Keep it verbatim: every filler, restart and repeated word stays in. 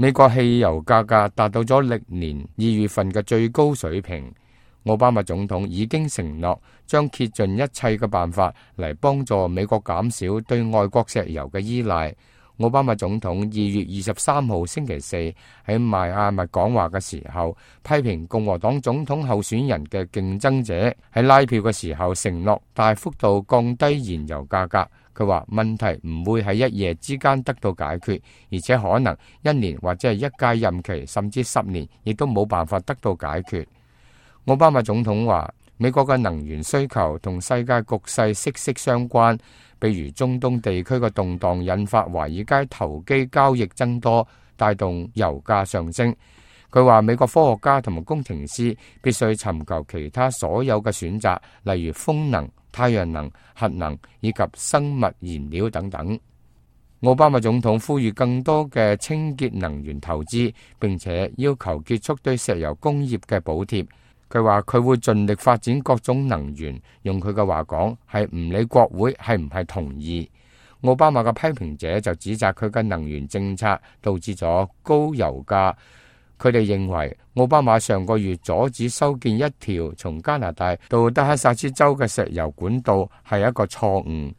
美國汽油價格達到咗歷年二月份嘅最高水平。奧巴馬總統已經承諾將竭盡一切嘅辦法嚟幫助美國減少對外國石油嘅依賴。奧巴馬總統二月二十三號星期四喺邁阿密講話嘅時候，批評共和黨總統候選人嘅競爭者喺拉票嘅時候承諾大幅度降低燃油價格。佢話問題唔會喺一夜之間得到解決，而且可能一年或者係一屆任期甚至十年亦都冇辦法得到解決。奧巴馬總統話，美國嘅能源需求同世界局勢息息相關，比如中東地區嘅動盪引發華爾街投機交易增多，帶動油價上升。佢話美國科學家同埋工程師必須尋求其他所有嘅選擇，例如風能、太陽能、核能以及生物燃料等等。奧巴馬總統呼籲更多嘅清潔能源投資，並且要求結束對石油工業嘅補貼。佢話佢會盡力發展各種能源，用佢嘅話講係唔理國會係唔係同意。奧巴馬嘅批評者就指責佢嘅能源政策導致咗高油價。佢哋認為奧巴馬上個月阻止修建一條從加拿大到德克薩斯州嘅石油管道係一個錯誤。